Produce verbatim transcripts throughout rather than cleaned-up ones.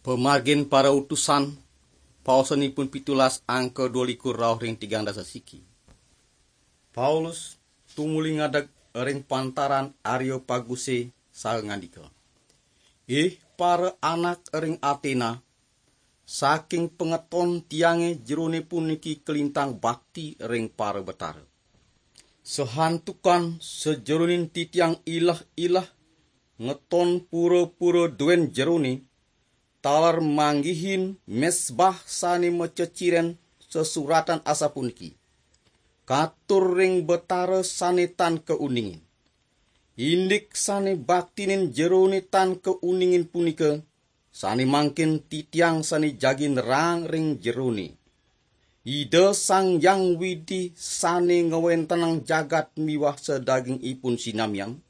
Pemargin para utusan, paosanipun pitulas angka dua likur rauh ring tigang dasa siki. Paulus tumuli ngadeg ring pantaran Areopaguse saha ngandika, "Ih para anak ring Atena, saking pangeton tiange jerone puniki kalintang bakti ring para betara. Sahantukan sajeroning titiang ileh-ileh ngeton pura-pura duen jerone, taler manggihin mesbah sane maceciren sesuratan asapuniki, 'Katur ring Betara sane tan kauningin.' Indik sane baktinin jerone tan kauningin punika, sane mangkin titiang sane jagi nerang ring jerone. Ida Sang Hyang Widi sane ngwentenang jagat miwah sadagingipun sinamian,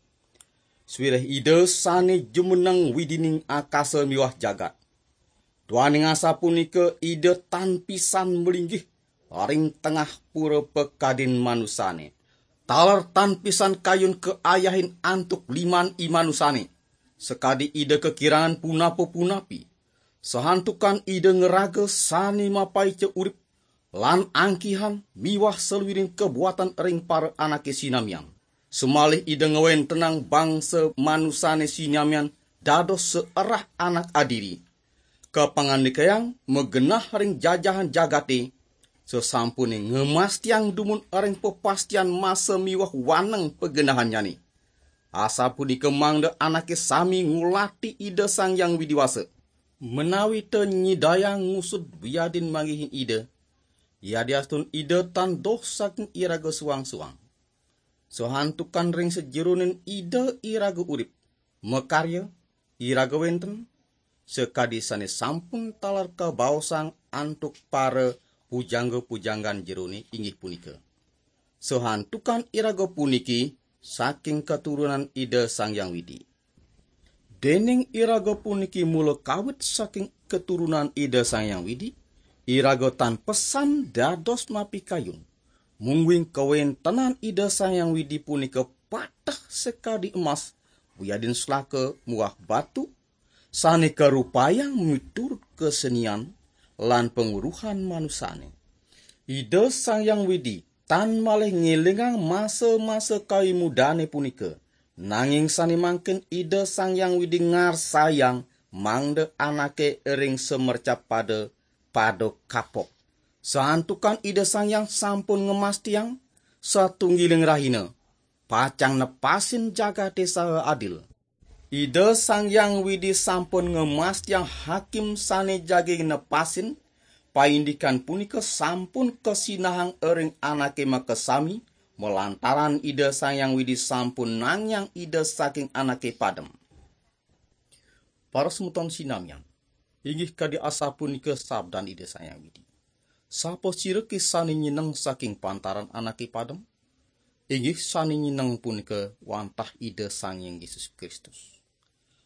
sawireh Ida sane jumeneng widining akasa miwah jagat. Duaning asapunika Ida tan pisan malinggih ring tengah pura pakadin manusane, taler tan pisan kayun kaayahin antuk liman i manusane, sakadi Ida kakirangan punapa-punapi. Sahantukan Ida ngraga sane mapaica urip lan angkihan miwah saluiring kabuatan ring para anake sinamian. Sumalih Ida ngwentenang bangsa manusane sinamian dados saerah anak adiri, kapangandikayang magenah ring jajahan jagate, sasampune ngemastiang dumun ring papastian masa miwah waneng pagenahannyane. Asapunika mangda anake sami ngulati Ida Sang Hyang Widi Wasa, menawi ta nyidayang ngusud wiadin manggihin Ida, yadiastun Ida tan doh saking iraga suang-suang. Sahantukan ring sajeroning Ida iraga urip, makarya, iraga wenten, sakadi sane sampun taler kabaosang antuk para pujangga-pujanggan jerone, inggih punika, 'Sahantukan iraga puniki saking katurunan Ida Sang Hyang Widi.' Dening iraga puniki mula kawit saking katurunan Ida Sang Hyang Widi, iraga tan pesan dados mapikayun, mungguing kawentenan Ida Sang Hyang Widi punika pateh sakadi emas, wiadin selaka muah batu, sane karupayang miturut kasenian lan panguruhan manusane. Ida Sang Hyang Widi tan malih ngelingang masa-masa kawimudane punika, nanging sane mangkin Ida Sang Hyang Widi ngarsayang mangda anake ring samercapada pada kapok. Santukan Ida Sang Hyang sampun ngemastiang satunggiling rahina pacang nepasin jagate saha adil. Ida Sang Hyang Widi sampun ngemastiang hakim sane jagi nepasin, paindikan punika sampun kasinahang ring anake makasami, malantaran Ida Sang Hyang Widi sampun nangiang Ida saking anake padem. Para semeton sinamian, inggih kadi asapunika sabdan Ida Sang Hyang Widi. Sapasirake sane nyeneng saking pantaran anake padem? Inggih sane nyeneng punika wantah Ida Sang Hyang Yesus Kristus.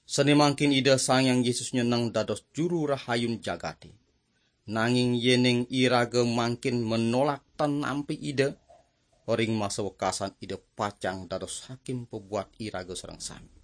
Sane mangkin Ida Sang Hyang Yesus nyeneng dados juru rahayun jagate. Nanging yening iraga mangkin menolak tan nampi Ida, ring masa wekasan Ida pacang dados hakim pabuat iraga sareng sami.